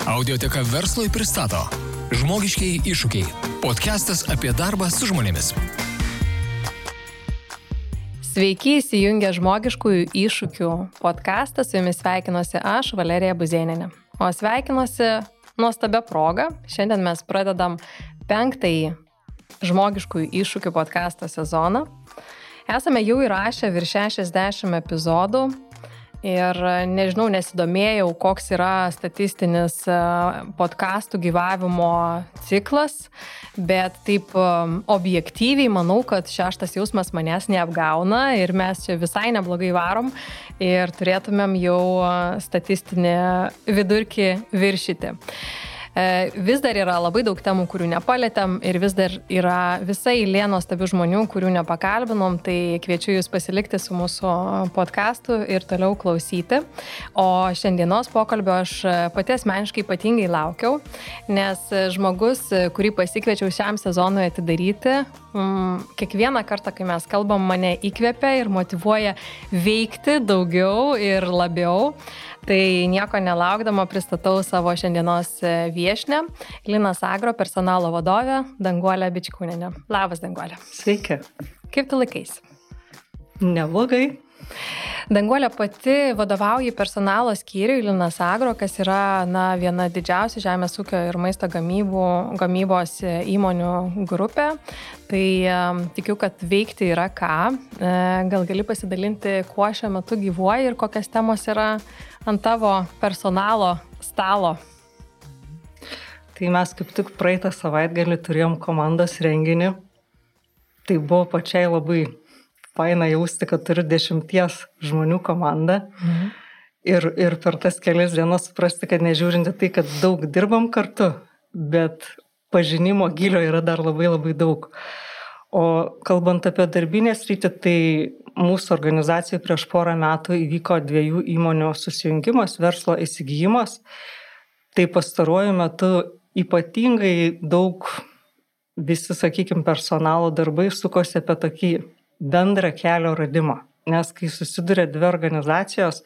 Audioteka Verslui pristato Žmogiškieji iššūkiai. Podcastas apie darbą su žmonėmis. Sveiki, įsijungę Žmogiškųjų iššūkių podcastą. Su jumis sveikinuosi aš, Valerija Buzėnienė. O sveikinuosi nuostabia proga. Šiandien mes pradedam 5. Žmogiškųjų iššūkių podcasto sezoną. Esame jau įrašę virš 60 epizodų. Ir nežinau, nesidomėjau, koks yra statistinis podcastų gyvavimo ciklas, bet taip objektyviai manau, kad 6. jausmas manęs neapgauna ir mes čia visai neblogai varom ir turėtumėm jau statistinį vidurkį viršyti. Vis dar yra labai daug temų, kurių nepalėtėm ir vis dar yra visa eilė nuostabių žmonių, kurių nepakalbinom, tai kviečiu jūs pasilikti su mūsų podcastu ir toliau klausyti. O šiandienos pokalbio aš pati asmeniškai ypatingai laukiau, nes žmogus, kurį pasikviečiau šiam sezonui atidaryti, kiekvieną kartą, kai mes kalbam, mane įkvepia ir motyvuoja veikti daugiau ir labiau. Tai nieko nelaukdama pristatau savo šiandienos viešnią, Linas Agro personalo vadovę, Danguolę Bičkūnienę. Labas, Danguolė. Sveiki. Kaip tu laikaisi? Neblogai. Danguolė pati vadovauja personalo skyriui Linas Agro, kas yra viena didžiausių žemės ūkio ir maisto gamybos įmonių grupė. Tai tikiu, kad veikti yra ką. Gal gali pasidalinti, kuo šiuo metu gyvuoji ir kokias temos yra ant tavo personalo stalo? Tai mes kaip tik praeitą savaitgalį turėjom komandos renginį. Tai buvo pačiai labai faina jausti, kad turiu 10 žmonių komandą. Ir per tas kelias dienas suprasti, kad nežiūrinti tai, kad daug dirbam kartu, bet pažinimo gilio yra dar labai labai daug. O kalbant apie darbinę sritį, tai mūsų organizacijai prieš porą metų įvyko 2 įmonių susijungimas, verslo įsigijimas. Tai pastaruoju metu ypatingai daug visi, sakykime, personalo darbai sukosi apie tokį bendrą kelio radimą. Nes kai susiduria 2 organizacijos,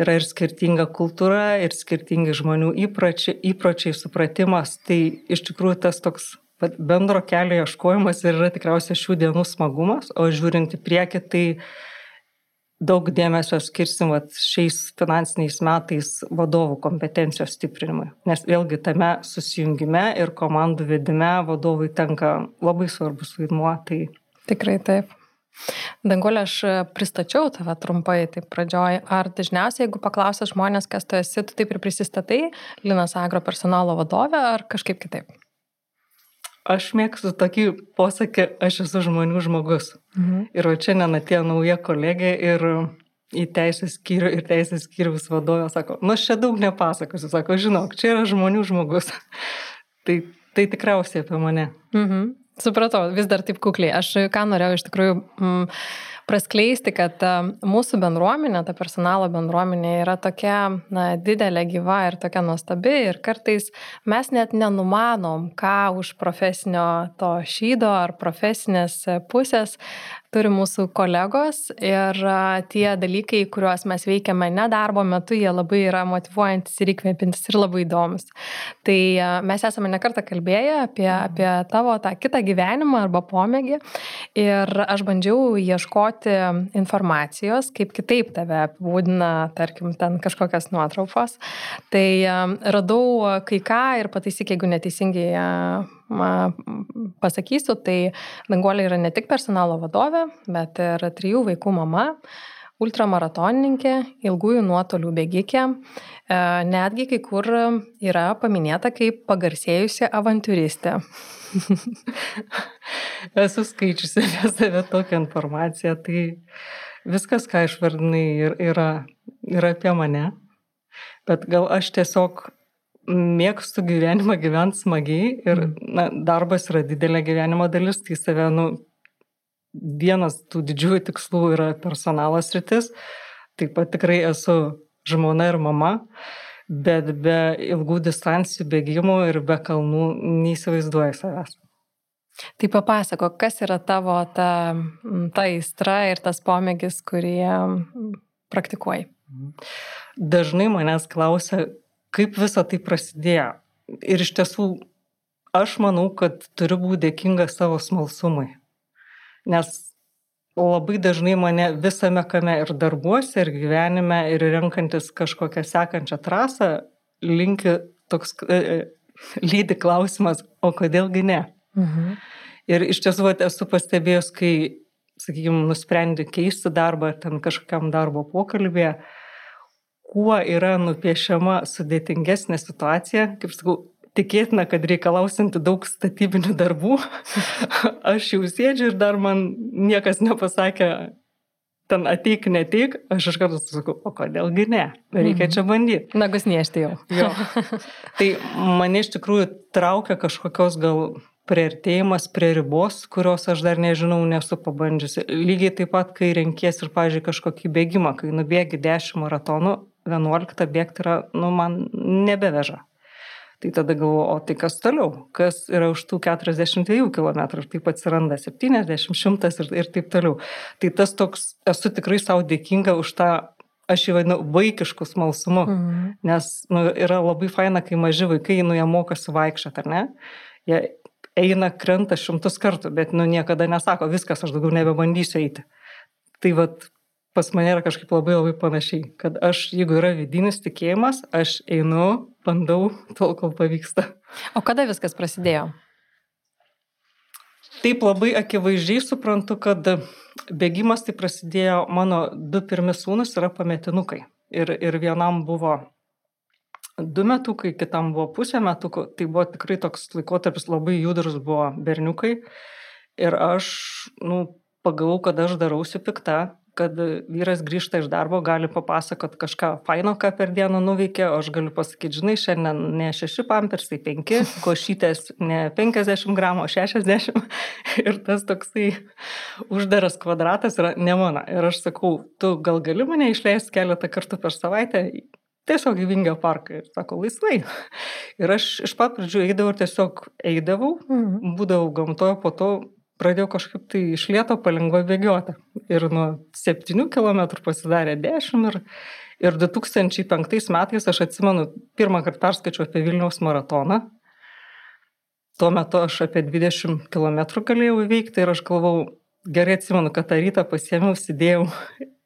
yra ir skirtinga kultūra, ir skirtingi žmonių įpročiai, supratimas. Tai iš tikrųjų tas toks bendro kelio ieškojimas ir yra tikriausiai šių dienų smagumas, o žiūrint į priekį, tai daug dėmesio skirsim šiais finansiniais metais vadovų kompetencijos stiprinimui. Nes vėlgi tame susijungime ir komandų vedime vadovui tenka labai svarbus vaidmuo. Tai... Tikrai taip. Danguolė, aš pristačiau tave trumpai taip pradžioj. Ar dažniausiai, jeigu paklausia žmonės, kas tu esi, tu taip ir prisistatai Linas Agro personalo vadovė ar kažkaip kitaip? Aš mėgstu tokį posakį, aš esu žmonių žmogus. Ir šiandien atėjo nauja kolegė ir į teisės skyrių ir teisės skyriaus vadovė sako, aš čia daug nepasakosiu, sako, žinok, čia yra žmonių žmogus. Tai tikriausiai apie mane. Supratau, vis dar taip kukliai. Aš ką norėjau iš tikrųjų praskleisti, kad mūsų bendruomenė, ta personalo bendruomenė yra tokia didelė, gyva ir tokia nuostabi ir kartais mes net nenumanom, ką už profesinio to šydo ar profesinės pusės turi mūsų kolegos ir tie dalykai, kuriuos mes veikiame ne darbo metu, jie labai yra motyvuojantis ir įkvėpintis ir labai įdomus. Tai mes esame nekartą kalbėję apie tavo tą kitą gyvenimą arba pomėgį ir aš bandžiau ieškoti informacijos, kaip kitaip tave apibūdina, tarkim, ten kažkokias nuotraukos. Tai radau kai ką ir pataisyk, jeigu neteisingai pasakysiu, tai Danguolė yra ne tik personalo vadovė, bet ir 3 vaikų mama, ultramaratonininkė, ilgųjų nuotolių bėgikė, netgi kai kur yra paminėta kaip pagarsėjusi avantiūristė. Esu skaičiusi apie save tokią informaciją, tai viskas, ką išvardinai, yra apie mane, bet gal aš tiesiog mėgstu gyvenimą gyventi smagiai ir darbas yra didelė gyvenimo dalis, tai save, vienas tų didžiųjų tikslų yra personalo sritis, taip pat tikrai esu žmona ir mama, bet be ilgų distancijų bėgimų ir be kalnų neįsivaizduoju savęs. Tai papasako, kas yra tavo ta aistra ir tas pomėgis, kurį praktikuoji? Dažnai manęs klausia, kaip visa tai prasidėjo. Ir iš tiesų, aš manau, kad turiu būti dėkinga savo smalsumui. Nes labai dažnai mane visame kame ir darbuose, ir gyvenime, ir renkantis kažkokią sekančią trasą, lydi klausimas, o kodėlgi ne? Ir iš tiesų esu pastebėjus, kai, sakykime, nusprendi keisti darbą, ten kažkokiam darbo pokalbėje, kuo yra nupiešiama sudėtingesnė situacija, kaip sakau, tikėtina, kad reikalausinti daug statybinių darbų. Aš jau sėdžiu ir dar man niekas nepasakė, ten ateik, neteik, aš iš karto sakau, o kodėlgi ne, reikia čia bandyti. Nagus niešti jau. Jo. Tai mane iš tikrųjų traukia kažkokios gal priartėjimas prie ribos, kurios aš dar nežinau, nesu pabandžiusi. Lygiai taip pat, kai renkies ir, pavyzdžiui, kažkokį bėgimą, kai nubėgi 10 maratonų, 11 bėgti yra, man nebeveža. Tai tada galvoju, o tai kas toliau? Kas yra už tų 42 km? Ir taip atsiranda 70, 100 ir taip toliau. Tai tas toks, esu tikrai savo dėkinga už tą, aš jį vadinu, vaikišku smalsumu. Nes yra labai faina, kai maži vaikai, jie mokosi vaikščioti, ar ne? Jie eina, krenta 100 kartų, bet niekada nesako, viskas, aš daugiau nebebandysiu eiti. Tai vat, pas mane yra kažkaip labai labai panašiai, kad aš, jeigu yra vidinis tikėjimas, aš einu, bandau, tol kol pavyksta. O kada viskas prasidėjo? Taip labai akivaizdžiai suprantu, kad bėgimas tai prasidėjo, mano 2 pirmi sūnus yra pametinukai. Ir vienam buvo 2 metukai, kitam buvo 0,5 metukų. Tai buvo tikrai toks laikotarpis, labai judrus buvo berniukai. Ir aš, pagalvojau, kad aš darausi pikta, kad vyras grįžta iš darbo, gali papasakot kažką faino, ką per dieną nuveikė, o aš galiu pasakyti, žinai, šiandien ne 6 pampersai, 5, košytės ne 50 gramų, o 60. Ir tas toksai uždaras kvadratas yra ne mano. Ir aš sakau, tu gal gali mane išleisti keletą kartų per savaitę, tiesiog į Vingio parką. Ir sako, laisvai. Ir aš iš pat pradžių eidavau, būdavau gamtoje, po to pradėjau kažkaip tai iš lėto palengva bėgioti. Ir nuo 7 km pasidarė 10 ir 2005 metais, aš atsimenu, pirmą kartą perskaičiau apie Vilniaus maratoną. Tuo metu aš apie 20 km galėjau įveikti ir aš galvau, gerai atsimenu, kad tą rytą pasiėmiau, sidėjau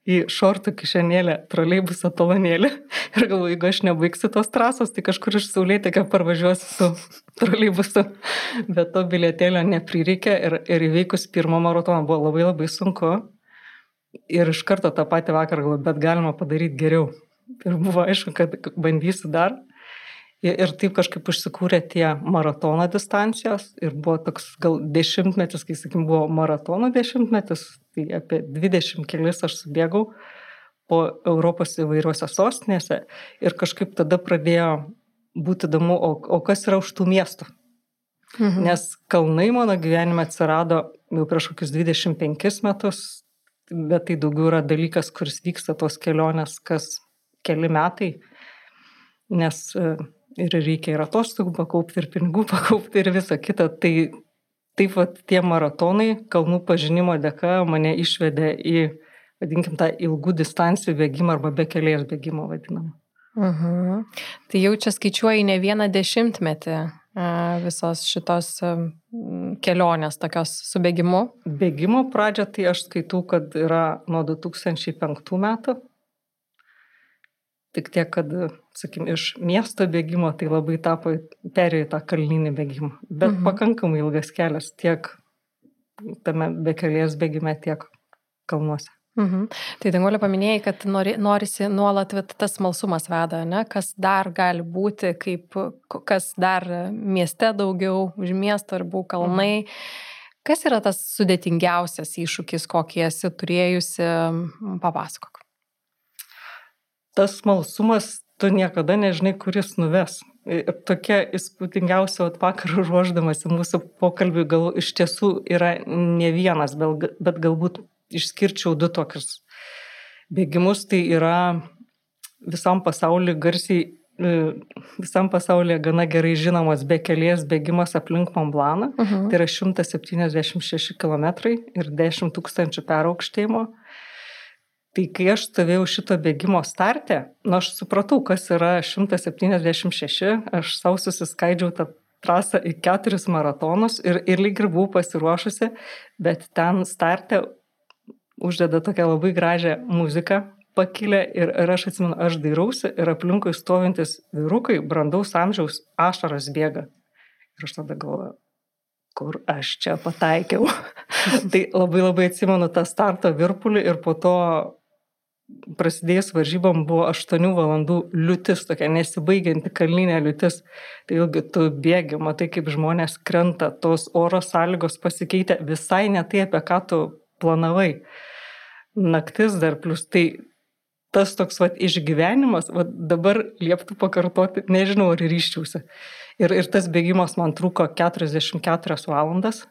į šortų kišenėlę troleibuso talonėlį ir galvoju, jeigu aš nebaigsiu tos trasos, tai kažkur iš Saulėtekio parvažiuosiu su troleibusu. Bet to bilietėlio neprireikė ir įveikus pirmą maratoną buvo labai labai sunku. Ir iš karto tą patį vakarą galvoju, bet galima padaryti geriau. Ir buvo aišku, kad bandysiu dar. Ir taip kažkaip užsikūrė tie maratono distancijos ir buvo toks gal 10-metis, kai, sakykim, buvo maratono 10-metis, tai apie 20 kelis aš subėgau po Europos įvairiuose sostinėse ir kažkaip tada pradėjo būti įdomu, o kas yra už tų miestų. Nes kalnai mano gyvenime atsirado jau prieš kokius 25 metus, bet tai daugiau yra dalykas, kuris vyksta tos kelionės kas keli metai, nes ir reikia ir atostogų pakaupti, ir pinigų pakaupti, ir visą kitą. Tai taip vat tie maratonai kalnų pažinimo dėka mane išvedė į, vadinkim, tą ilgų distancijų bėgimą arba bekelės bėgimą vadinamą. Tai jau čia skaičiuoji ne vieną 10-metį visos šitos kelionės tokios su bėgimu. Bėgimo pradžia tai aš skaitau, kad yra nuo 2005 metų. Tik tiek, kad, sakim, iš miesto bėgimo tai labai perėjo į tą kalninį bėgimą. Bet pakankamai ilgas kelias tiek tame bekelės bėgime, tiek kalnuose. Tai Danguolė paminėjai, kad norisi nuolat tas smalsumas veda, ne? Kas dar gali būti, kas dar mieste daugiau, už miesto ribų kalnai. Kas yra tas sudėtingiausias iššūkis, kokį esi turėjusi, papasakok. Tas smalsumas, tu niekada nežinai, kuris nuves. Ir tokia įspūdingiausia vakarų ruoždamas į mūsų pokalbį gal iš tiesų yra ne vienas, bet galbūt išskirčiau 2 tokius bėgimus. Tai yra visam pasaulyje gana gerai žinomas bekelės bėgimas aplink Mont Blancą. Tai yra 176 km ir 10 000 peraukštėjimo. Tai kai aš stovėjau šito bėgimo starte, aš supratau, kas yra 176, aš savo susiskaidžiau tą trasą į 4 maratonus ir lyg ir buvau pasiruošusi, bet ten starte uždeda tokią labai gražią muziką, pakilę ir aš atsimenu, aš dairausi ir aplinkui stovintis vyrukai, brandaus amžiaus, ašaros bėga. Ir aš tada galvoju, kur aš čia pataikiau. Tai labai atsimenu tą starto virpulį ir po to prasidėjus varžybom buvo 8 valandų liūtis, tokia nesibaigianti kalninė liūtis. Tai ilgi tu bėgi, matai, kaip žmonės krenta, tos oro sąlygos pasikeitė visai ne tai, apie ką tu planavai. Naktis dar plus, tai tas toks išgyvenimas, dabar lieptų pakartoti, nežinau, ar ryžčiausi. Ir tas bėgimas man truko 44 valandas,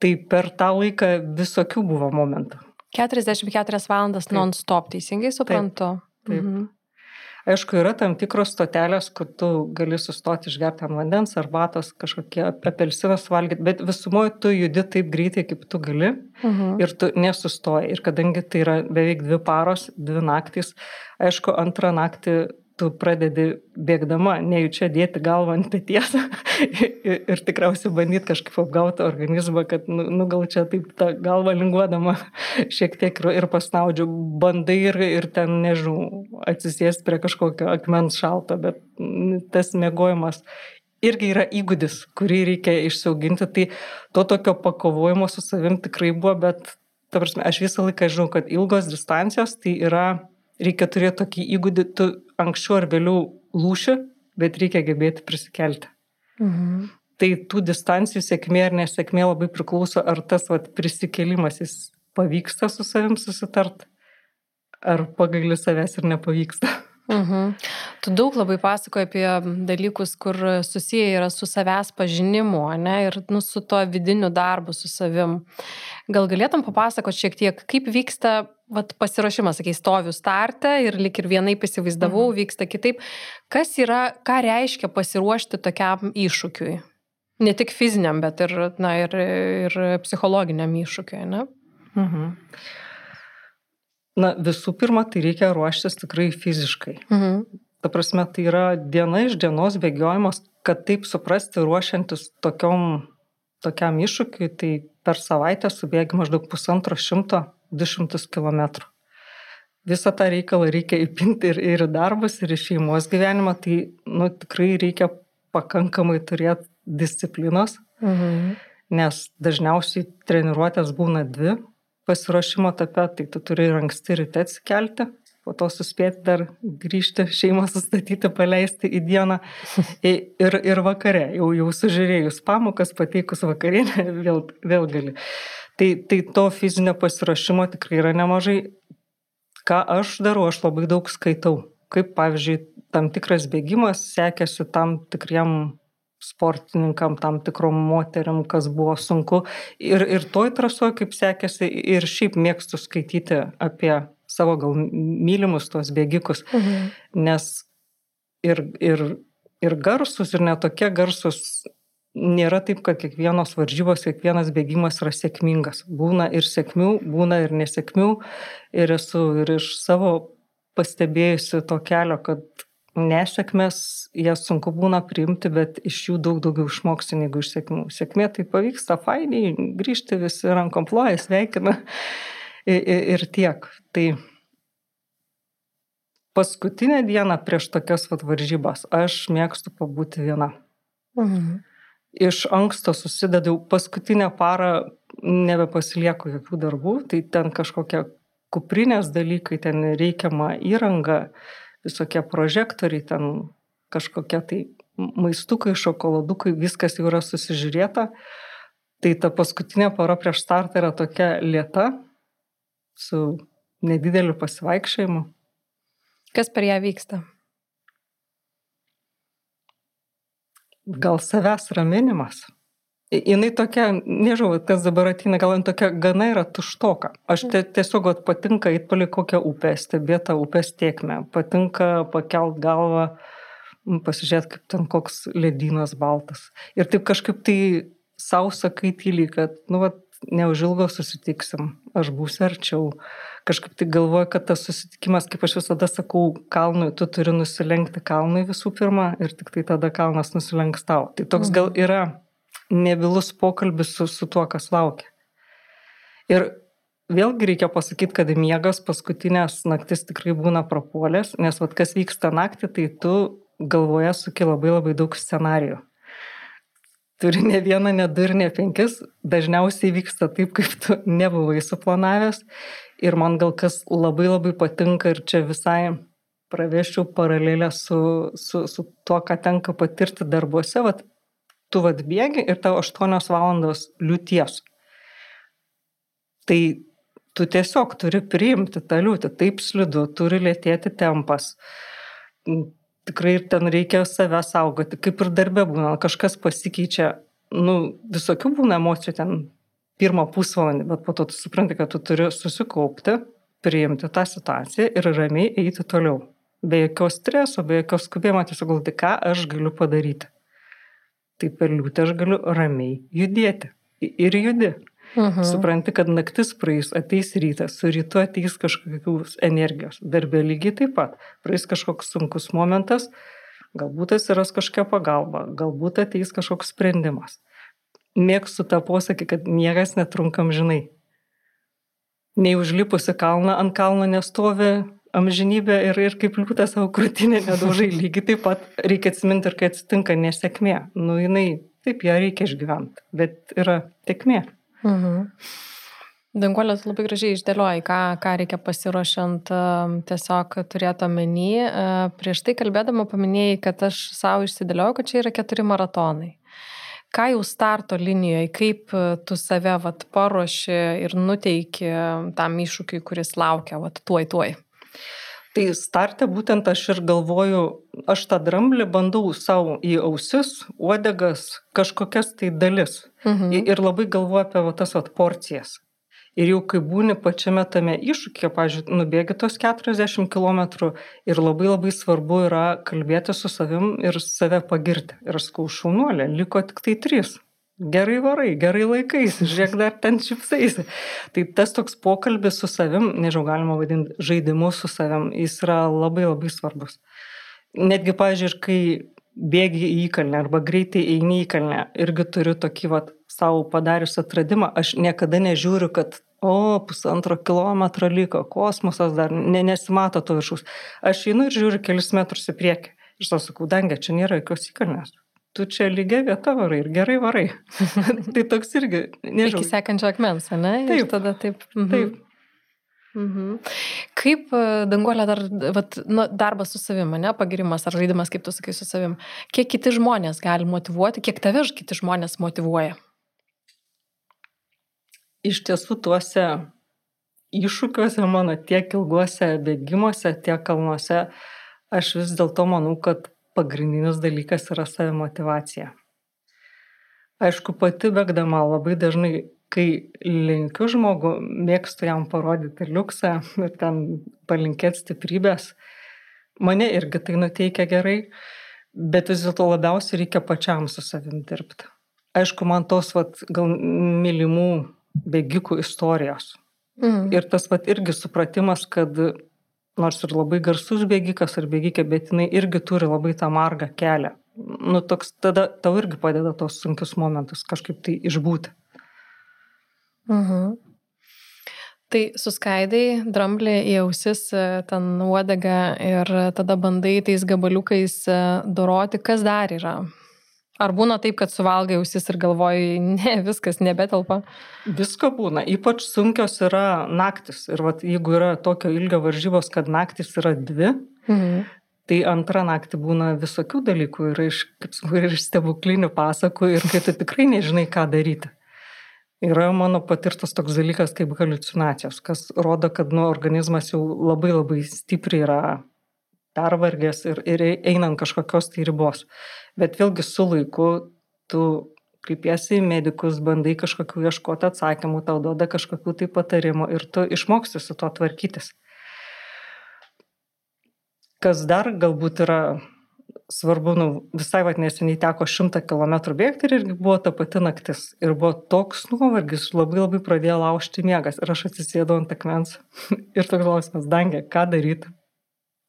tai per tą laiką visokių buvo momentų. 44 valandas non-stop, teisingai suprantu? Taip. Aišku, yra tam tikros stotelės, kur tu gali sustoti išgerti ant vandens, arbatos, kažkokie apelsinas valgyti, bet visumoje tu judi taip greitai, kaip tu gali ir tu nesustoji. Ir kadangi tai yra beveik 2 paros, 2 naktys, aišku, antrą naktį tu pradedi bėgdama, nejučia dėti galvą ant peties ir tikriausiai bandyti kažkaip apgauti organizmą, kad gal čia taip tą galvą linguodama šiek tiek ir pasnaudžiu, bandai ir ten, nežinau, atsisėsti prie kažkokio akmens šalto, bet tas miegojimas irgi yra įgūdis, kurį reikia išsiauginti, tai to tokio pakovojimo su savim tikrai buvo, bet ta prasme, aš visą laiką žinau, kad ilgos distancijos tai yra, reikia turėti tokį įgūdį, tu anksčiau ar vėliau lūši, bet reikia gebėti prisikelti. Tai tų distancijų sėkmė ar nesėkmė labai priklauso, ar tas prisikėlimas jis pavyksta su savim susitart, ar pagaili savęs ir nepavyksta. Tu daug labai pasakoji apie dalykus, kur susiję yra su savęs pažinimu, ne, ir su to vidiniu darbu su savim. Gal galėtum papasakoti šiek tiek, kaip vyksta pasiruošimas, sakai, stoviu starte ir lyg ir vienaip įsivaizdavau, vyksta kitaip. Kas yra, ką reiškia pasiruošti tokiam iššūkiui? Ne tik fiziniam, bet ir psichologiniam iššūkiui, ne? Visų pirma, tai reikia ruoštis tikrai fiziškai. Ta prasme, tai yra diena iš dienos bėgiojimas, kad taip suprasti ruošiantis tokiam iššūkiui, tai per savaitę subėgi maždaug 150-200 kilometrų. Visą tą reikalą reikia įpinti ir į darbus, ir į šeimos gyvenimą, tai tikrai reikia pakankamai turėti disciplinos, nes dažniausiai treniruotės būna 2 pasiruošimo etape, tai tu turi ir anksti ryte atsikelti, po to suspėti dar grįžti, šeimą sustatyti, paleisti į dieną ir vakare, jau sužiūrėjus pamokas, pateikus vakarienę, vėl gali. Tai to fizinio pasiruošimo tikrai yra nemažai. Ką aš darau, aš labai daug skaitau. Kaip, pavyzdžiui, tam tikras bėgimas sekėsi tam tikriem sportininkam, tam tikrom moteriam, kas buvo sunku. Ir toj trasoje, kaip sekėsi, ir šiaip mėgstu skaityti apie savo gal mylimus tos bėgikus. Nes ir garsus, ir netokie garsus nėra taip, kad kiekvienos varžybos, kiekvienas bėgimas yra sėkmingas. Būna ir sėkmių, būna ir nesėkmių. Ir esu ir iš savo pastebėjusi to kelio, kad nesėkmės, jas sunku būna priimti, bet iš jų daug daugiau išmoksi negu iš sėkmių. Sėkmė tai pavyksta fainiai, grįžti visi rankom ploja, sveikina ir tiek. Tai paskutinę dieną prieš tokias varžybas aš mėgstu pabūti viena. Iš anksto susidedau, paskutinę parą nebepasilieku jokių darbų, tai ten kažkokie kuprinės dalykai, ten reikiama įranga, visokie prožektoriai, ten kažkokie tai maistukai, šokoladukai, viskas jau yra susižiūrėta. Tai ta paskutinė para prieš startą yra tokia lėta, su nedideliu pasivaikščiojimu. Kas per ją vyksta? Gal savęs raminimas. Jinai tokia, nežinau, kas dabar ateina, gal tokia gana yra tuštoka. Aš tiesiog patinka eit palei kokią upę, stebėti upės tėkmę. Patinka pakelt galvą, pasižiūrėti, kaip ten koks ledynas baltas. Ir taip kažkaip tai sau sakai tyliai, kad neužilgo susitiksim, aš būsiu arčiau. kažkaip tai galvoju, kad tas susitikimas, kaip aš visada sakau, kalnui, tu turi nusilenkti kalnui visų pirma ir tik tai tada kalnas nusilenks tau. Tai toks gal yra nebylus pokalbis su tuo, kas laukia. Ir vėlgi reikia pasakyti, kad miegas paskutinės naktis tikrai būna prapuolės, nes vat, kas vyksta naktį, tai tu galvoje suki labai labai daug scenarijų. Turi ne vieną, ne du ir ne 5, dažniausiai vyksta taip, kaip tu nebuvai suplanavęs. Ir man gal kas labai labai patinka ir čia visai praveščiau paralelę su tuo, ką tenka patirti darbuose, vat, tu vat bėgi ir tau 8 valandos liūties. Tai tu tiesiog turi priimti tą liūtį, taip slidu, turi lėtėti tempas. Tikrai ir ten reikia save saugoti, kaip ir darbe būna, kažkas pasikeičia, visokių būna emocijų ten pirmą pusvalandį, bet po to tu supranti, kad tu turi susikaupti, priimti tą situaciją ir ramiai eiti toliau. Be jokios streso, be jokios skubėjimo, tiesiog galvoti, ką aš galiu padaryti. Tai per liūtį aš galiu ramiai judėti. Ir judi. Supranti, kad naktis praeis, ateis rytas, su rytu ateis kažkokios energijos. Darbė lygiai taip pat. Praeis kažkoks sunkus momentas, galbūt atsiras kažkokia pagalba, galbūt ateis kažkoks sprendimas. Mėgstu tą posakį, kad niekas netrunka amžinai. Nei užlipusi kalną, ant kalno nestovi amžinybė ir kaip liūtas savo krūtinę nedaužai. Lygiai taip pat reikia atsiminti ir kai atsitinka nesėkmė. Jinai, taip, ją reikia išgyventi, bet yra tekmė. Danguolė, labai gražiai išdėlioji, ką reikia pasiruošiant tiesiog turėti omeny. Prieš tai kalbėdama paminėjai, kad aš savo išsidėliojau, kad čia yra 4 maratonai. Ką jau starto linijoje, kaip tu save paruoši ir nuteiki tam iššūkiui, kuris laukia tuoj? Tai starte būtent aš ir galvoju, aš tą dramblį bandau savo į ausis, uodegas, kažkokias tai dalis. Ir labai galvoju apie tas porcijas. Ir jau kai būni pačiame tame iššūkyje, pavyzdžiui, nubėgi tos 40 km ir labai labai svarbu yra kalbėti su savim ir save pagirti. Ir aš sakau, šaunuolė, liko tik tai 3. Gerai varai, gerai laikais, žiūrėk, dar ten šipsaisi. Tai tas toks pokalbis su savim, nežinau, galima vadinti žaidimu su savim, jis yra labai labai svarbus. Netgi, pavyzdžiui, kai bėgi į įkalnę arba greitai eini į įkalnę, irgi turiu tokį savo padarius atradimą, aš niekada nežiūriu, kad 1,5 kilometro liko, kosmosas dar nesimato to viršaus. Aš einu ir žiūriu kelis metrus į priekį. Ir sakau, Dangė, čia nėra jokios įkalnės. Tu čia lygia vieta varai ir gerai varai. Tai toks irgi, nežinau. Iki sekančio akmens, ne? Taip. Ir tada taip. Taip. Kaip, Danguolė, dar darbas su savim, ne? Pagirimas ar žaidimas, kaip tu sakai, su savim. Kiek kiti žmonės gali motyvuoti, kiek tave kiti žmonės motyvuoja? Iš tiesų tuose iššūkiuose mano tiek ilguose bėgimuose, tiek kalnuose, aš vis dėlto manau, kad pagrindinis dalykas yra savimotyvacija. Aišku, pati bėgdama labai dažnai, kai linkiu žmogų, mėgstu jam parodyti liuksą ir ten palinkėti stiprybės. Mane irgi tai nuteikia gerai, bet vis dėlto labiausiai reikia pačiam su savim dirbti. Aišku, man tos gal mylimų bėgikų istorijos. Ir tas irgi supratimas, kad nors ir labai garsus bėgikas ar bėgikė, bet jinai irgi turi labai tą margą kelią. Toks tada tau irgi padeda tos sunkius momentus kažkaip tai išbūti. Tai suskaidai dramblį į ausis, ten uodegą ir tada bandai tais gabaliukais doroti, kas dar yra. Ar būna taip, kad suvalgai ausis ir galvoji, ne, viskas nebetelpa? Visko būna, ypač sunkios yra naktis. Ir jeigu yra tokio ilgio varžybos, kad naktis yra 2, tai antrą naktį būna visokių dalykų, ir iš stebuklinių pasakų, ir kai tu tikrai nežinai, ką daryti. Yra mano patirtas toks dalykas kaip haliucinacijos, kas rodo, kad organizmas jau labai labai stipriai yra pervargęs ir einant kažkokios tai ribos. Bet vėlgi su laiku tu kreipiesi į medikus, bandai kažkokių ieškoti atsakymų, tau duoda kažkokių tai patarimų ir tu išmoksti su to tvarkytis. Kas dar galbūt yra svarbu, visai neseniai teko 100 km bėgti ir irgi buvo ta pati naktis. Ir buvo toks nuovargis, labai pradėjo laužti miegas. Ir aš atsisėdau ant akmens ir toks klausimas, Dangė, ką daryti?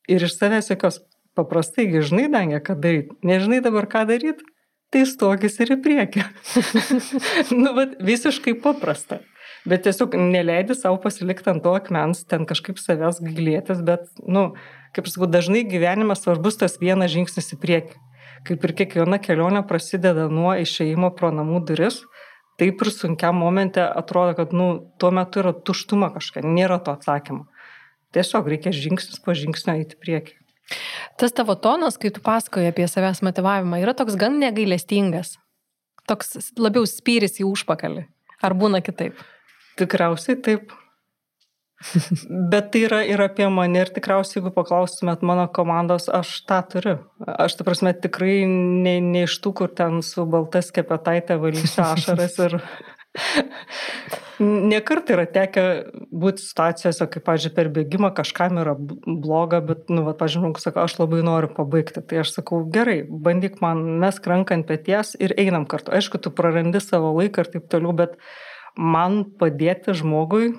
Ir iš savęs jokios, paprastai, žinai, Dangė, ką daryti? Nežinai dabar, ką daryti? Tai stokis ir į priekį. Visiškai paprasta. Bet tiesiog neleidi savo pasilikti ant to akmens, ten kažkaip savęs gailėtis, bet, kaip sakau, dažnai gyvenimas svarbus tas vienas žingsnis į priekį. Kaip ir kiekviena kelionė prasideda nuo išėjimo pro namų duris, taip ir sunkiam momente atrodo, kad, tuo metu yra tuštuma kažkokia, nėra to atsakymo. Tiesiog reikia žingsnis po žingsnio eiti į priekį. Tas tavo tonas, kai tu pasakoji apie savęs motyvavimą, yra toks gan negailestingas. Toks labiau spyris į užpakalį. Ar būna kitaip? Tikriausiai taip. Bet tai yra ir apie mane ir tikriausiai, jeigu paklaustumėt mano komandos, aš tą turiu. Aš, ta prasme, tikrai ne iš tų, kur ten su balta skepetaitė valysiu ašaras ir nekart yra tekę būti situacijose, kaip, pavyzdžiui, per bėgimą kažkam yra bloga, bet, pavyzdžiui, sako, aš labai noriu pabaigti. Tai aš sakau, gerai, bandyk man, mesk ranką ant peties ir einam kartu. Aišku, tu prarandi savo laiką ir taip toliau, bet man padėti žmogui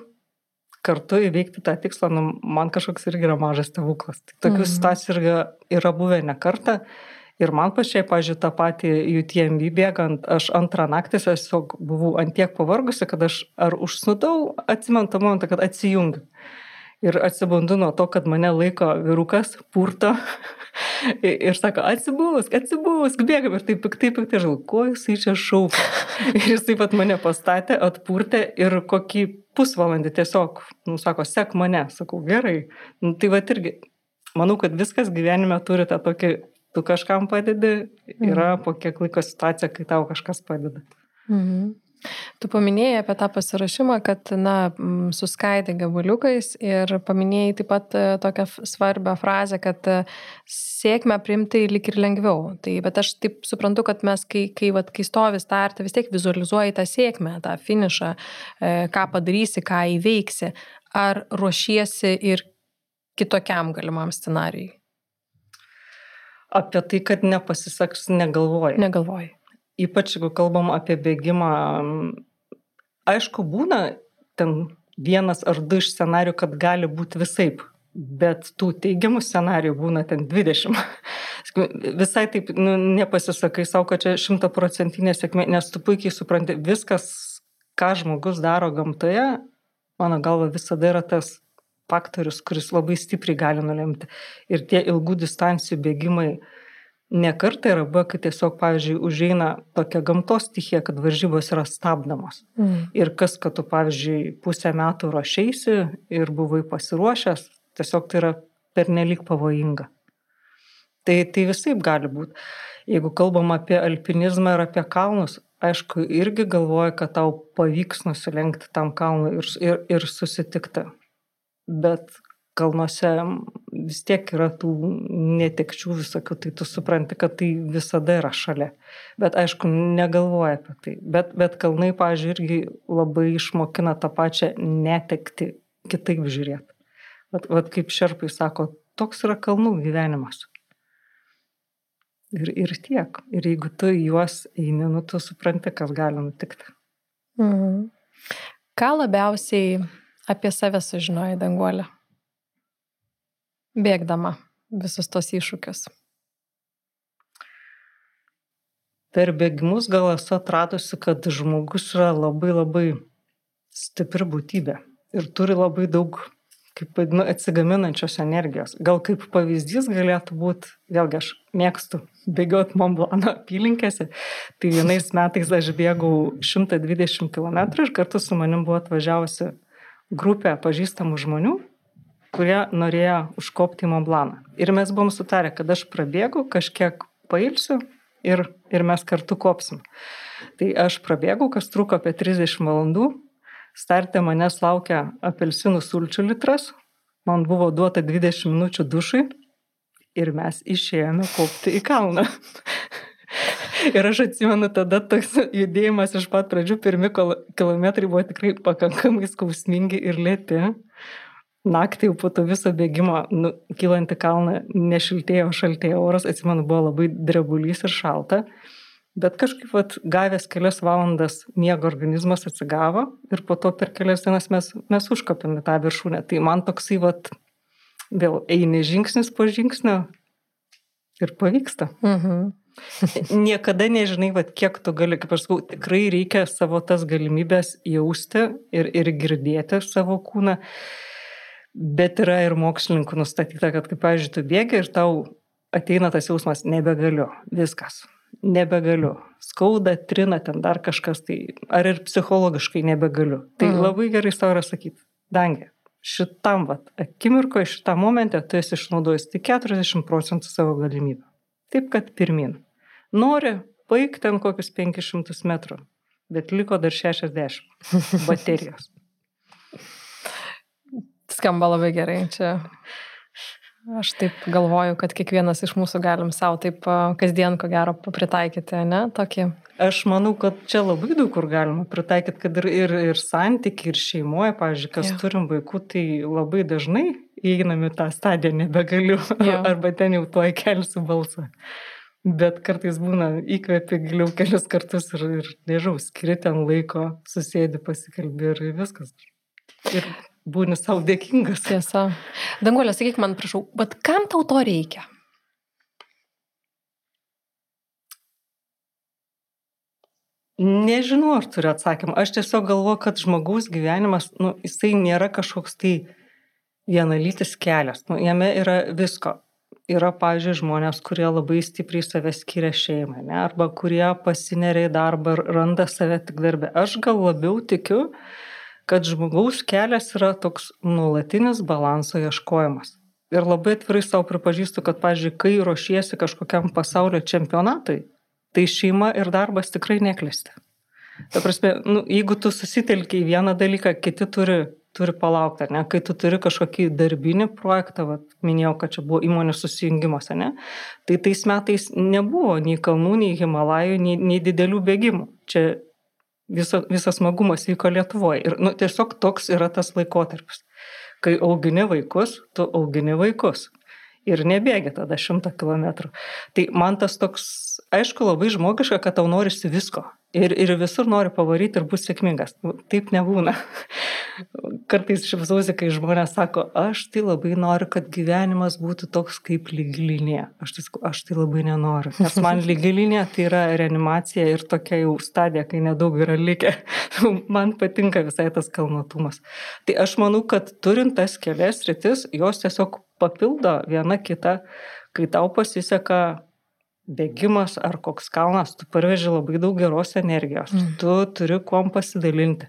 kartu įveikti tą tikslą, man kažkoks irgi yra mažas stebuklas. Tokių situacijų yra buvę ne kartą. Ir man pačiai, pavyzdžiui, tą patį UTMB bėgant, aš antrą naktį tiesiog buvau antiek pavargusi, kad aš ar užsnudau, atsimenu tą momentą, kad atsijungiu. Ir atsibundu nuo to, kad mane laiko vyrukas, purto ir sako, atsibusk, bėgam. Ir taip piktai žinau, ko jisai čia šaukia. Ir jis taip pat mane pastatė, atpurtė ir kokį pusvalandį tiesiog, sako, sek mane. Sakau, gerai. Tai va irgi, manau, kad viskas gyvenime turi tą tokį, tu kažkam padedi, yra po kiek laiko situacija, kai tau kažkas padeda. Tu paminėjai apie tą pasirašymą, kad, suskaidė gabaliukais ir paminėjai taip pat tokią svarbią frazę, kad sėkmę priimti lyg ir lengviau. Bet aš taip suprantu, kad mes, kai stovi starte, vis tiek vizualizuoji tą sėkmę, tą finišą, ką padarysi, ką įveiksi. Ar ruošiesi ir kitokiam galimam scenarijui? Apie tai, kad nepasiseks, negalvoji. Ypač, jeigu kalbam apie bėgimą, aišku, būna ten 1 ar 2 iš scenarijų, kad gali būti visaip, bet tų teigiamų scenarijų būna ten 20. Visai taip nepasisakai savo, kad čia 100% sėkmė, nes tu puikiai supranti, viskas, ką žmogus daro gamtoje, mano galva visada yra tas faktorius, kuris labai stipriai gali nulemti. Ir tie ilgų distancijų bėgimai nekartą yra buvę, kai tiesiog, pavyzdžiui, užeina tokia gamtos stichija, kad varžybos yra stabdomos. Ir kas, kad tu, pavyzdžiui, pusę metų ruošeisi ir buvai pasiruošęs, tiesiog tai yra pernelyg pavojinga. Tai visaip gali būti. Jeigu kalbam apie alpinizmą ir apie kalnus, aišku, irgi galvoju, kad tau pavyks nusilenkti tam kalnui ir susitikti. Bet kalnuose vis tiek yra tų netekčių visokių, tai tu supranti, kad tai visada yra šalia. Bet aišku, negalvoja apie tai. Bet kalnai, pavyzdžiui, irgi labai išmokina tą pačią netekti kitaip žiūrėti. Vat kaip šerpai sako, toks yra kalnų gyvenimas. Ir tiek. Ir jeigu tu juos eini, tu supranti, kas gali nutikti. Ką labiausiai apie save sužinojai, Danguolė? Bėgdama visus tos iššūkius. Per bėgimus gal esu atradusi, kad žmogus yra labai stipri būtybė ir turi labai daug, kaip vadinu, atsigaminančios energijos. Gal kaip pavyzdys galėtų būti, vėlgi aš mėgstu bėgioti Mont Blanc'o apylinkėse, tai vienais metais aš bėgau 120 km ir kartu su manim buvo atvažiavusi grupė pažįstamų žmonių, kurie norėjo užkopti į Mont Blanc'ą. Ir mes buvom sutarę, kad aš prabėgu, kažkiek pailsiu ir mes kartu kopsim. Tai aš prabėgau, kas truko apie 30 valandų. Starte manęs laukia apelsinų sulčių litras. Man buvo duota 20 minučių dušui ir mes išėjome kopti į kalną. Ir aš atsimenu, tada toks judėjimas iš pat pradžių, pirmi kilometrai buvo tikrai pakankamai skausmingi ir lėti. naktį jau po to viso bėgimo, kylant į kalną, nešiltėjo, šaltėjo oras, atsimenu, buvo labai drebulys ir šalta, bet kažkaip gavęs kelias valandas miego organizmas atsigavo ir po to per kelias dienas mes užkopėm į tą viršūnę. Tai man toksai vėl eini žingsnis po žingsnio ir pavyksta. Niekada nežinai, kiek tu gali, kaip aš sakau, tikrai reikia savo tas galimybės jausti ir girdėti savo kūną, bet yra ir mokslininkų nustatyta, kad kaip, pavyzdžiui, tu bėgi ir tau ateina tas jausmas, nebegaliu, viskas, nebegaliu, skauda, trina ten dar kažkas, tai ar ir psichologiškai nebegaliu. Tai labai gerai savo yra sakyti, Dange, šitam akimirkoje, šitam momente tu esi išnaudojęs tik 40% savo galimybių. Taip, kad pirmin. Nori, paik ten kokius 500 metrų, bet liko dar 60 baterijos. Skamba labai gerai. Čia aš taip galvoju, kad kiekvienas iš mūsų galim savo taip kasdien, ko gero, pritaikyti, ne? Tokį. Aš manau, kad čia labai daug kur galima pritaikyti, kad ir santykiai, ir šeimoje, pavyzdžiui, kas turim vaikų, tai labai dažnai įeinam į tą stadiją, nebegaliu, arba ten jau tuoj kelsiu balsą. Bet kartais būna įkvėpi giliau kelius kartus ir nežinau, skiri ten laiko, susėdi, pasikalbi ir viskas. Ir būni savo dėkingas. Tiesa. Danguolė, sakyk man, prašau, bet kam tau to reikia? Nežinau, aš turiu atsakymą. Aš tiesiog galvoju, kad žmogaus gyvenimas, jisai nėra kažkoks tai vienalytis kelias. Jame yra visko. Yra, pavyzdžiui, žmonės, kurie labai stipriai save skiria šeimai, ne? Arba kurie pasineria į darbą ir randa save tik darbę. Aš gal labiau tikiu, kad žmogaus kelias yra toks nuolatinis balanso ieškojimas. Ir labai atvirai savo pripažįstu, kad, pavyzdžiui, kai ruošiesi kažkokiam pasaulio čempionatui, tai šeima ir darbas tikrai neklesti. Ta prasme, jeigu tu susitelki į vieną dalyką, kiti turi palaukti, ne? Kai tu turi kažkokį darbinį projektą, minėjau, kad čia buvo įmonių susijungimas, ne? Tai tais metais nebuvo nei kalnų, nei Himalajų, nei didelių bėgimų. Čia visas smagumas vyko Lietuvoje. Ir tiesiog toks yra tas laikotarpis. Kai augini vaikus, tu augini vaikus. Ir nebėgi tada 100 kilometrų. Tai man tas toks, aišku, labai žmogiška, kad tau norisi visko. Ir visur nori pavaryti ir būti sėkmingas. Taip nebūna. Kartais šipsausi, kai žmonės sako, aš tai labai noriu, kad gyvenimas būtų toks kaip lygilinė. Aš tai labai nenoriu. Nes man lygilinė tai yra reanimacija ir tokia jau stadija, kai nedaug yra likę. Man patinka visai tas kalnotumas. Tai aš manau, kad turint tas kelias sritis, jos tiesiog papildo viena kitą, kai tau pasiseka bėgimas ar koks kalnas, tu parveži labai daug geros energijos, tu turi kuom pasidalinti.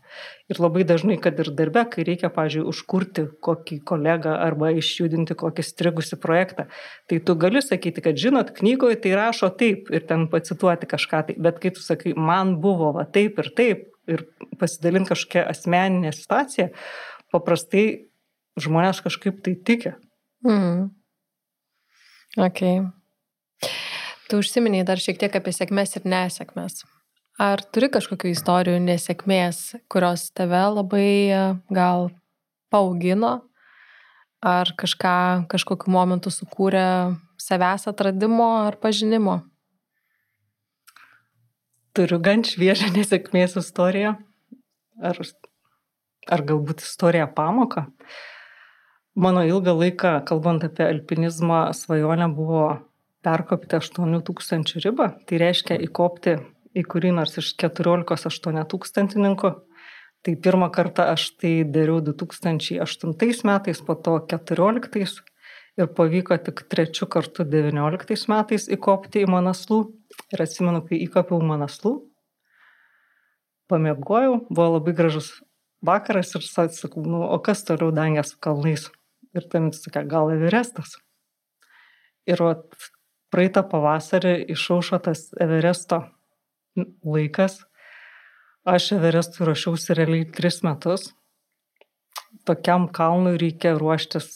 Ir labai dažnai, kad ir darbe, kai reikia, pavyzdžiui, užkurti kokį kolegą arba išjudinti kokį strigusi projektą, tai tu gali sakyti, kad žinot, knygoje tai rašo taip ir ten pacituoti kažką tai, bet kai tu sakai, man buvo taip ir pasidalinti kažkokią asmeninę situaciją, paprastai žmonės kažkaip tai tikia. Okay. Tu užsiminiai dar šiek tiek apie sėkmės ir nesėkmės. Ar turi kažkokių istorijų nesėkmės, kurios tave labai gal paaugino, ar kažkokiu momentu sukūrė savęs atradimo ar pažinimo? Turiu gan šviežią nesėkmės istoriją, ar galbūt istoriją pamoką. Mano ilgą laiką, kalbant apie alpinizmą, svajonė buvo perkopti 8000 ribą, tai reiškia įkopti į kurį nors iš 14 8000-tininkų. Tai pirmą kartą aš tai dariau 2008 metais, po to 2014 ir pavyko tik 3 kartų 2019 metais įkopti į Manaslų. Ir atsimenu, kai įkopiau Manaslų, pamiegojau, buvo labai gražus vakaras ir sakau, o kas toliau Dange su kalnais? Ir tam sakė, gal Everestas. Ir praeitą pavasarį išaušo tas Everesto laikas. Aš Everestui ruošiausi realiai 3 metus. Tokiam kalnui reikia ruoštis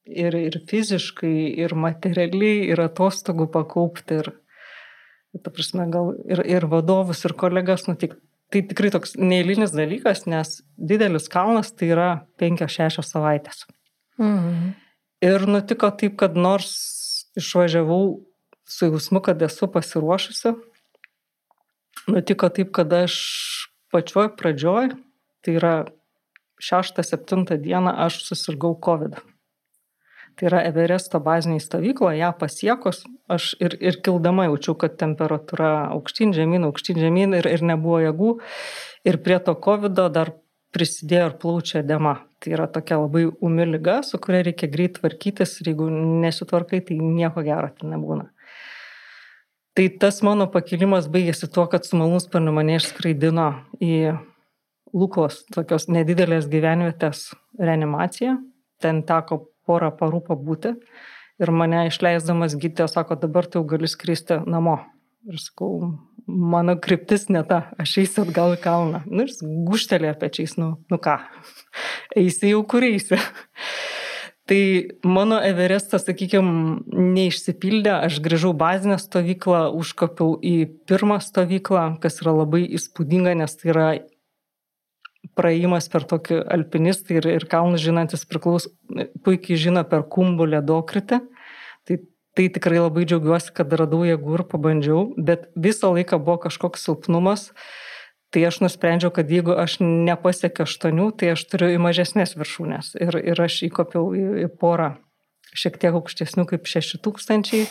ir fiziškai, ir materialiai, ir atostogų pakaupti. Ir ta prasme, gal ir vadovus, ir kolegas nutikti. tai tikrai toks neeilinis dalykas, nes didelis kalnas tai yra 5-6 savaitės. Ir nutiko taip, kad nors išvažiavau su jausmu, kad esu pasiruošusi, nutiko taip, kad aš pačioj pradžioj, tai yra 6-7 dieną aš susirgau COVID. Tai yra Everesto baziniai stovykloje, ją pasiekus, aš ir kildama jaučiau, kad temperatūra aukštyn žemyn ir nebuvo jėgų. Ir prie to COVID'o dar prisidėjo ir plaučių edema. Tai yra tokia labai ūmi liga, su kuria reikia greit tvarkytis ir jeigu nesitvarkai, tai nieko gero ten nebūna. Tai tas mano pakilimas baigėsi tuo, kad su malūnsparniu mane išskraidino į Lukos tokios nedidelės gyvenvietės reanimaciją. Ten teko porą parų pabūti ir mane išleisdamas gydytojas sako, dabar tu jau gali skristi namo. Ir sakau, mano kryptis ne ta, aš eisiu atgal į kalną. Nu ir guštelėjo pečiais, nu ką, eisi jau kur eisi. Tai mano Everestas, sakykime, neišsipildė, aš grįžau bazinę stovyklą, užkopiau į pirmą stovyklą, kas yra labai įspūdinga, nes tai yra praėjimas per tokį alpinistą ir kalnus žinantis puikiai žino per Kumbų ledokritį. Tai tikrai labai džiaugiuosi, kad radau jėgų ir pabandžiau, bet visą laiką buvo kažkoks silpnumas. Tai aš nusprendžiau, kad jeigu aš nepasiekiu 8, tai aš turiu į mažesnės viršūnės. Ir aš įkopiau į porą šiek tiek aukštesnių kaip 6000.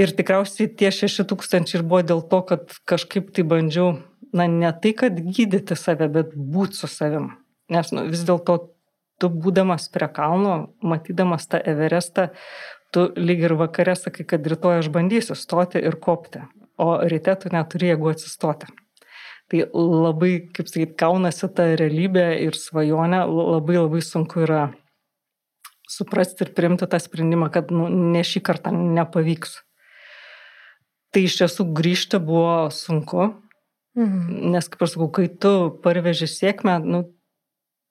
Ir tikriausiai tie 6000 ir buvo dėl to, kad kažkaip tai bandžiau, ne tai, kad gydyti save, bet būti su savim. Nes vis dėlto tu būdamas prie kalno, matydamas tą Everestą, tu lyg ir vakare sakai, kad rytoj aš bandysiu stoti ir kopti, o ryte tu neturi jėgų atsistoti. Tai labai, kaip sakyt, kaunasi ta realybė ir svajonė, labai sunku yra suprasti ir priimti tą sprendimą, kad ne šį kartą nepavyks. Tai iš tiesų grįžti buvo sunku, nes, kaip aš sakau, kai tu parveži sėkmę,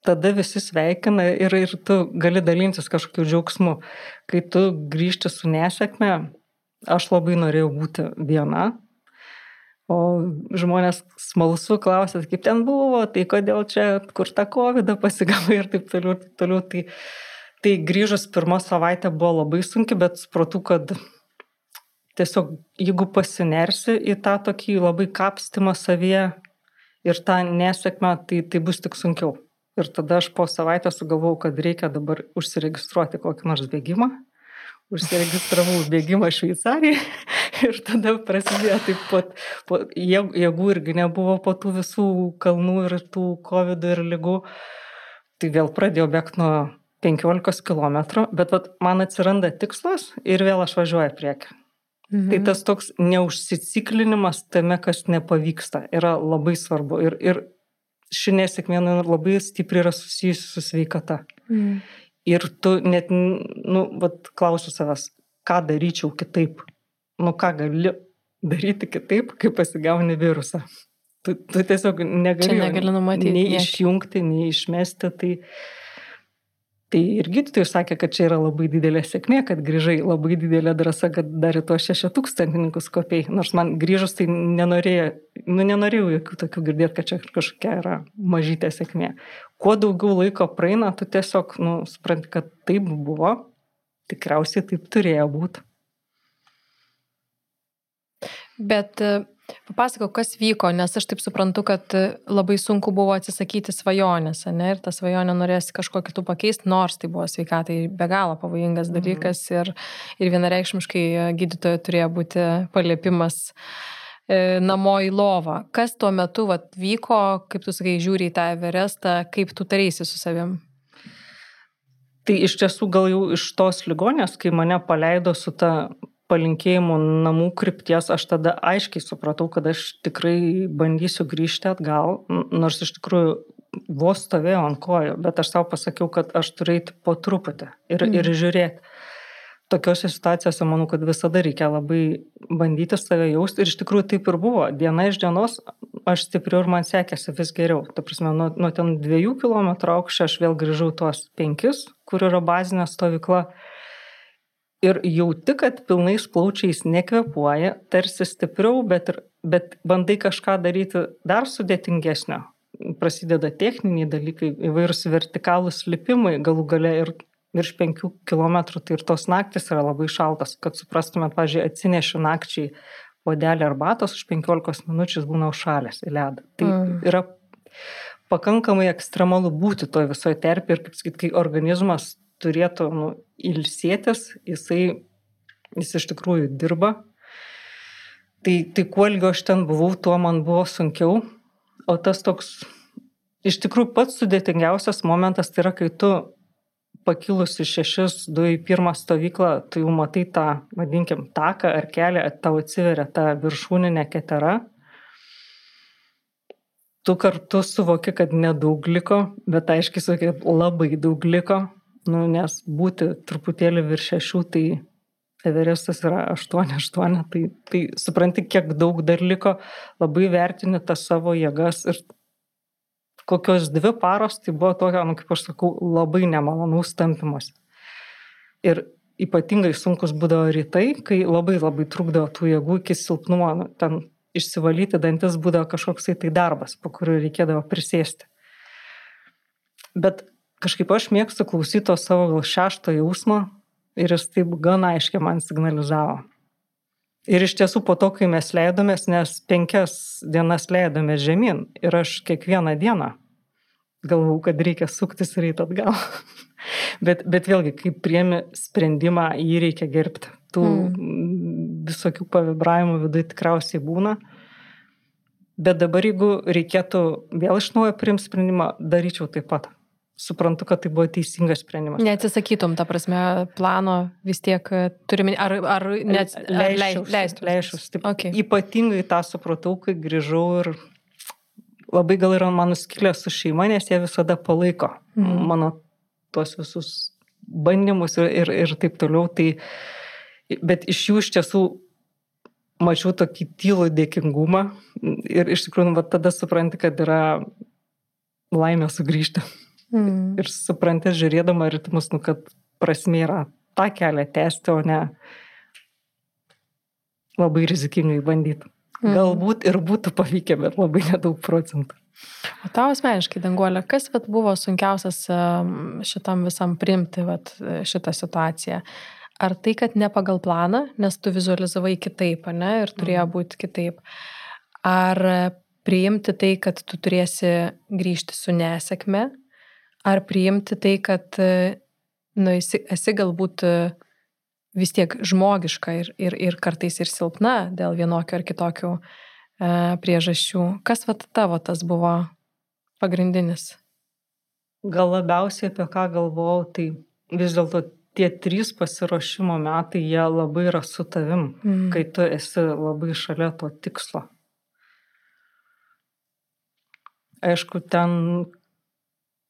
tada visi sveikina ir tu gali dalintis kažkokiu džiaugsmu. Kai tu grįžti su nesėkme, aš labai norėjau būti viena, o žmonės smalsu klausia, kaip ten buvo, tai kodėl čia, kur tą COVID pasigavai ir taip toliau. Tai grįžus pirmą savaitę buvo labai sunki, bet supratau, kad tiesiog jeigu pasinersi į tą tokį labai kapstymą savyje ir tą nesėkmę, tai bus tik sunkiau. Ir tada aš po savaitę sugalvojau, kad reikia dabar užsiregistruoti kokį nors bėgimą. Užsiregistravau bėgimą Šveicarijai ir tada prasidėjo taip pat jėgų irgi nebuvo po tų visų kalnų ir tų COVID ir ligų. Tai vėl pradėjau bėgti nuo 15 km, bet man atsiranda tikslas ir vėl aš važiuoju priekį. Tai tas toks neužsiciklinimas tame, kas nepavyksta, yra labai svarbu. Ir ši nesėkmė labai stipriai yra susijusi su sveikata. Ir tu net, klausiu savęs, ką daryčiau kitaip. Ką gali daryti kitaip, kai pasigauni virusą. Tu tiesiog negali numatyti, nei išjungti, nei išmesti. Tai ir gydytojai sakė, kad čia yra labai didelė sėkmė, kad grįžai, labai didelė drąsa, kad dar į tuos 6000 kopiai. Nors man grįžus tai nenorėjau jokių tokių girdėti, kad čia kažkokia yra mažytė sėkmė. Kuo daugiau laiko praeina, tu tiesiog supranti, kad taip buvo, tikriausiai taip turėjo būti. Bet papasakok, kas vyko, nes aš taip suprantu, kad labai sunku buvo atsisakyti svajonės, ne? Ir tą svajonę norėsi kažko kitų pakeisti, nors tai buvo sveikatai be galo pavojingas dalykas ir vienareikšmiškai gydytojo turėjo būti paliepimas namo į lovą. Kas tuo metu vyko, kaip tu sakai, žiūri į tą Everestą, kaip tu taraisi su savim? Tai iš tiesų gal jau iš tos ligonės, kai mane paleido su ta palinkėjimų namų krypties, aš tada aiškiai supratau, kad aš tikrai bandysiu grįžti atgal, nors iš tikrųjų vos stovėjau ant kojų, bet aš savo pasakiau, kad aš turiu eiti po truputį ir žiūrėti. Tokiose situacijose manau, kad visada reikia labai bandyti save jausti ir iš tikrųjų taip ir buvo. Diena iš dienos aš stipriau ir man sekėsi vis geriau. Ta prasme, nuo ten 2 km aukščio aš vėl grįžau tuos 5, kur yra bazinė stovykla. Ir jauti, kad pilnais plaučiais nekvėpuoja, tarsi stipriau, bet bet bandai kažką daryti dar sudėtingesnio. Prasideda techniniai dalykai, įvairūs vertikalūs lipimai, galų gale ir virš 5 kilometrų, tai ir tos naktis yra labai šaltas, kad suprastumėt, pavyzdžiui, atsinešiu nakčiai puodelį arbatos, už 15 minučių būna užšalęs į ledą. Tai yra pakankamai ekstremalu būti toje visoje terpėje ir, kaip sakyti, kai organizmas turėtų ilsėtis, jis iš tikrųjų dirba. Tai kuo ilgiau aš ten buvau, tuo man buvo sunkiau. O tas toks, iš tikrųjų pats sudėtingiausias momentas tai yra, kai tu pakilus iš 6, 2 į 1 stovyklą, tu jau matai tą, vadinkim, taką ar kelią, tau atsiveria ta viršūninė ketera. Tu kartu suvoki, kad nedaug liko, bet aiškiai suvoki, kad labai daug liko, nes būti truputėlį virš 6, tai Everestas yra 8, tai supranti, kiek daug dar liko, labai vertini tas savo jėgas ir kokios 2 paros, tai buvo tokia, kaip aš sakau, labai nemalonaus tampymas. Ir ypatingai sunkus būdavo rytai, kai labai trukdavo tų jėgų iki silpnumo, ten išsivalyti dantis būdavo kažkoks tai darbas, po kuriuo reikėdavo prisėsti. Bet kažkaip aš mėgstu klausyti to savo gal 6 jausmo, ir jis taip gan aiškiai man signalizavo. Ir iš tiesų po to, kai mes leidomės, nes 5 dienas leidomės žemyn, ir aš kiekvieną dieną galvau, kad reikia suktis ryt atgal. bet vėlgi, kai priemi sprendimą, jį reikia gerbti. Tų visokių pavibravimų viduje tikriausiai būna. Bet dabar, jeigu reikėtų vėl iš naujo priimti sprendimą, daryčiau taip pat. Suprantu, kad tai buvo teisingas sprendimas. Neatsisakytum, ta prasme, plano vis tiek turime, ar leistus? Okay. Ypatingai tą supratau, kai grįžau ir labai gal yra mano skylė su šeima, nes jie visada palaiko mano tuos visus bandymus ir taip toliau. Tai, bet iš jų iš tiesų mačiau tokį tylų dėkingumą ir iš tikrųjų tada supranti, kad yra laimė sugrįžti. Ir supranti, žiūrėdama ritmus, kad prasmė yra tą kelią tęsti, o ne labai rizikingai bandyti. Galbūt ir būtų pavykę, bet labai nedaug procentų. O tau asmeniškai, Danguolė, kas buvo sunkiausias šitam visam priimti šitą situaciją? Ar tai, kad ne pagal planą, nes tu vizualizavai kitaip, ne, ir turėjo būti kitaip? Ar priimti tai, kad tu turėsi grįžti su nesėkme? Ar priimti tai, kad esi galbūt vis tiek žmogiška ir kartais ir silpna dėl vienokio ar kitokių priežasčių? Kas tavo tas buvo pagrindinis? Gal labiausiai apie ką galvojau, tai vis dėlto tie 3 pasiruošimo metai, jie labai yra su tavim, kai tu esi labai šalia to tikslo. Aišku, ten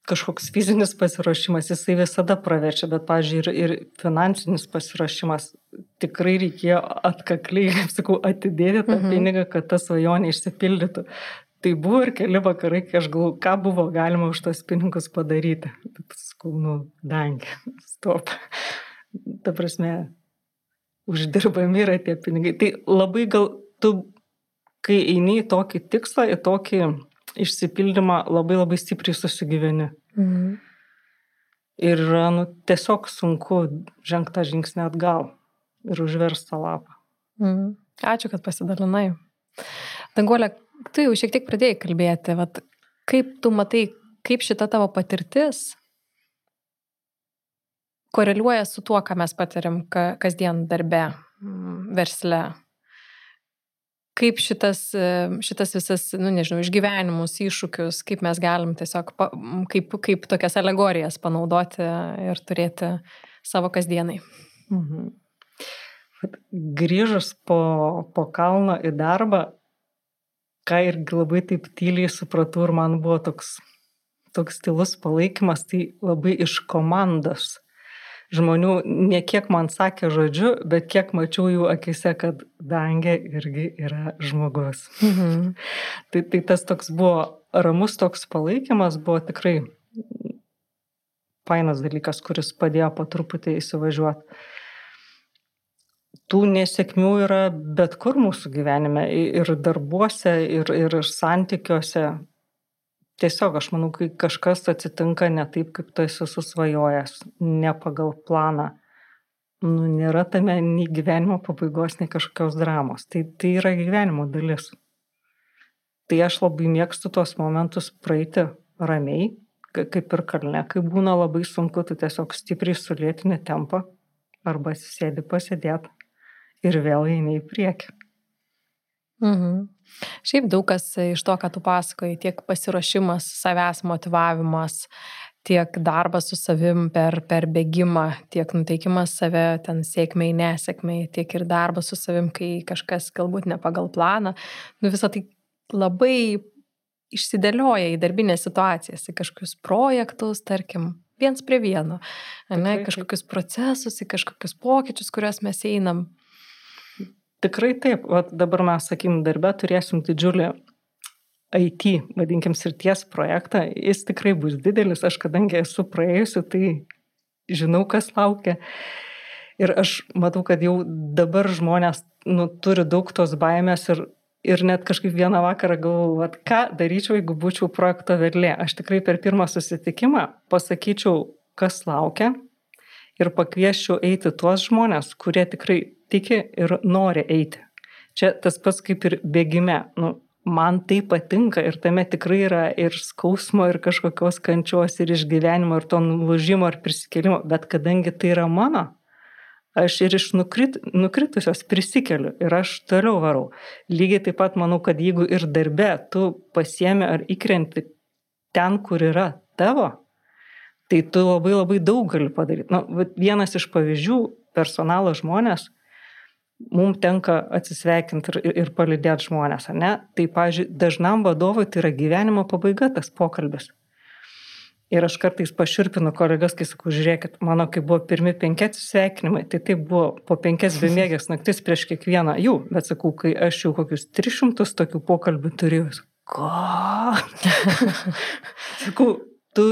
kažkoks fizinis pasiruošimas, jisai visada praverčia, bet, pavyzdžiui, ir finansinis pasiruošimas tikrai reikėjo atkakliai, kaip sakau, atidėti tą pinigą, kad ta svajonė išsipildytų. Tai buvo ir keli vakarai, kai aš galvoju, ką buvo galima už tos pinigus padaryti. Bet sakau, dangi, stop. Ta prasme, uždirbami yra tie pinigai. Tai labai gal tu, kai eini į tokį tikslą, į tokį išsipildymą, labai stipriai susigyveni. Ir tiesiog sunku žengti tą žingsnį atgal ir užversti tą lapą. Ačiū, kad pasidalinai. Danguolė, tu jau šiek tiek pradėjai kalbėti, kaip tu matai, kaip šita tavo patirtis koreliuoja su tuo, ką mes patiriam kasdien darbe, versle. Kaip šitas visas, išgyvenimus, iššūkius, kaip mes galim tiesiog, kaip tokias alegorijas panaudoti ir turėti savo kasdienai. Grįžus po kalno į darbą, ką irgi labai taip tyliai supratau ir man buvo toks tylus palaikymas, tai labai iš komandos žmonių, ne kiek man sakė žodžiu, bet kiek mačiau jų akise, kad Dangė irgi yra žmogus. Tai tas toks buvo ramus toks palaikymas, buvo tikrai fainas dalykas, kuris padėjo po truputį įsivažiuoti. tų nesėkmių yra bet kur mūsų gyvenime, ir darbuose, ir santykiuose. Tiesiog aš manau, kai kažkas atsitinka ne taip, kaip tu esi susvajojęs, ne pagal planą, nėra tame nei gyvenimo pabaigos, nei kažkokios dramos. Tai yra gyvenimo dalis. Tai aš labai mėgstu tuos momentus praeiti ramiai, kaip ir kalne, kai būna labai sunku, tu tiesiog stipriai sulėtini tempą arba sėdi pasėdėti ir vėl eini į priekį. Šiaip daug kas iš to, ką tu pasakoji, tiek pasiruošimas, savęs motyvavimas, tiek darbas su savim per bėgimą, tiek nuteikimas save ten sėkmei, nesėkmei, tiek ir darbas su savim, kai kažkas galbūt ne pagal planą. Visą tai labai išsidėlioja į darbinės situacijas, į kažkokius projektus, tarkim, viens prie vieno, kažkokius procesus, į kažkokius pokyčius, kuriuos mes einam. Tikrai taip. Dabar mes, sakykim, darbe turėsim didžiulį IT, vadinkim, srities projektą. Jis tikrai bus didelis. Aš kadangi esu praėjusi, tai žinau, kas laukia. Ir aš matau, kad jau dabar žmonės turi daug tos baimės ir net kažkaip vieną vakarą galvoju, ką daryčiau, jeigu būčiau projekto vedlė. Aš tikrai per pirmą susitikimą pasakyčiau, kas laukia ir pakviesčiau eiti tuos žmonės, kurie tikrai tiki ir nori eiti. Čia tas pats kaip ir bėgime. Man tai patinka ir tame tikrai yra ir skausmo, ir kažkokios kančios, ir išgyvenimo, ir to nulūžimo, ir prisikėlimo. Bet kadangi tai yra mano, aš ir iš nukritusios prisikeliu ir aš toliau varau. Lygiai taip pat manau, kad jeigu ir darbe tu pasiemi ar įkrenti ten, kur yra tavo, tai tu labai labai daug gali padaryti. Vienas iš pavyzdžių, personalo žmonės, mums tenka atsisveikinti ir palydėti žmonės, ne? Tai, pavyzdžiui, dažnam vadovui tai yra gyvenimo pabaiga tas pokalbis. Ir aš kartais paširpinu kolegas, kai sakau, žiūrėkit, mano, kai buvo pirmi 5 atsisveikinimai, tai buvo po 5 bemėgės naktis prieš kiekvieną jų, bet sakau, kai aš jau kokius 300 tokių pokalbių turėjau, ko? Sakau, tu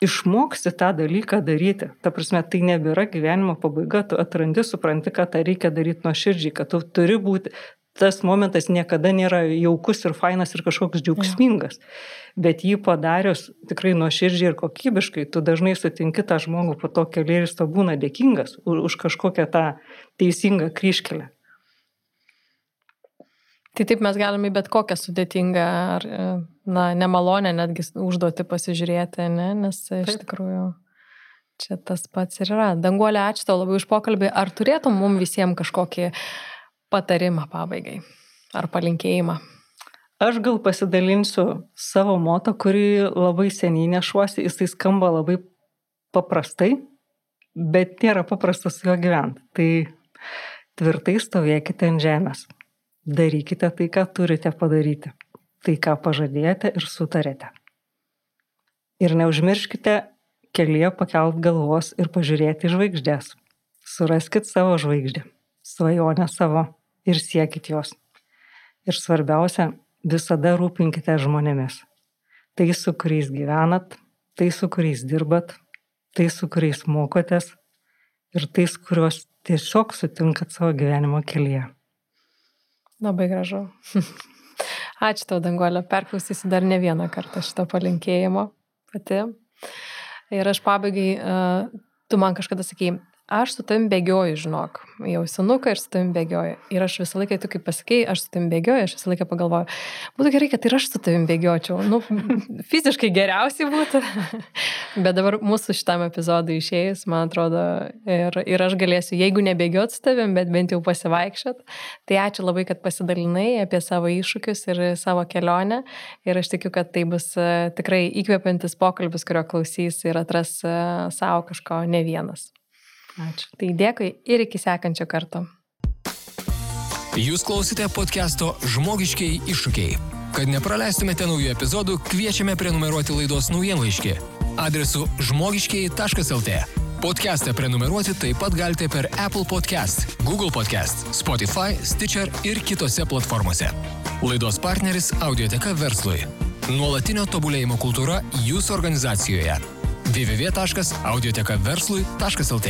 išmoksti tą dalyką daryti. Ta prasme, tai nebėra gyvenimo pabaiga, tu atrandi, supranti, kad tą reikia daryti nuoširdžiai, kad tu turi būti, tas momentas niekada nėra jaukus ir fainas ir kažkoks džiaugsmingas. Bet jį padarius tikrai nuoširdžiai ir kokybiškai, tu dažnai sutinki tą žmogų po to keliai ir jis to būna dėkingas už kažkokią tą teisingą kryžkelę. Tai taip mes galime bet kokią sudėtingą ar nemalonę netgi užduoti pasižiūrėti, nes iš tikrųjų čia tas pats ir yra. Danguolė, ačiū tau labai už pokalbį. Ar turėtum mums visiems kažkokį patarimą pabaigai ar palinkėjimą? Aš gal pasidalinsiu savo moto, kurį labai seniai nešuosi. Jisai skamba labai paprastai, bet nėra paprasta su juo gyventi. Tai tvirtai stovėkite ant žemės. Darykite tai, ką turite padaryti. Tai, ką pažadėjote ir sutarėte. Ir neužmirškite kelyje pakelt galvos ir pažiūrėti žvaigždės. Suraskit savo žvaigždę, svajonę savo ir siekit jos. Ir svarbiausia, visada rūpinkite žmonėmis. Tai, su kuriais gyvenat, tai, su kuriais dirbat, tai, su kuriais mokotės ir tais, kuriuos tiesiog sutinkat savo gyvenimo kelyje. Labai gražu. Ačiū tau, Danguolė. Perklausysiu dar ne vieną kartą šito palinkėjimo pati. Ir aš pabaigai, tu man kažkada sakei, aš su tavim bėgioju, žinok. Jau senuką ir su tavim bėgioju. Ir aš visą laiką, tu kaip pasakei, aš su tavim bėgioju, aš visą laiką pagalvoju, būtų gerai, kad ir aš su tavim bėgiočiau. Fiziškai geriausiai būtų. Bet dabar mūsų šitam epizodui išėjus, man atrodo, ir aš galėsiu, jeigu nebėgiot su tavim, bet bent jau pasivaikščiot. Tai ačiū labai, kad pasidalinai apie savo iššūkius ir savo kelionę. Ir aš tikiu, kad tai bus tikrai įkvepiantis pokalbis, kurio klausys ir atras savo kažko ne vienas. Ačiū. Tai dėkui ir iki sekančio karto. Jūs klausite podcast'o Žmogiškieji iššūkiai. Kad nepraleistumėte naujų epizodų, kviečiame prenumeruoti laidos naujienlaiškį adresu žmogiškieji.lt. Podcast'ą prenumeruoti taip pat galite per Apple Podcast, Google Podcast, Spotify, Stitcher ir kitose platformose. Laidos partneris Audioteka verslui. Nuolatinio tobulėjimo kultūra jūsų organizacijoje. www.audiotekaverslui.lt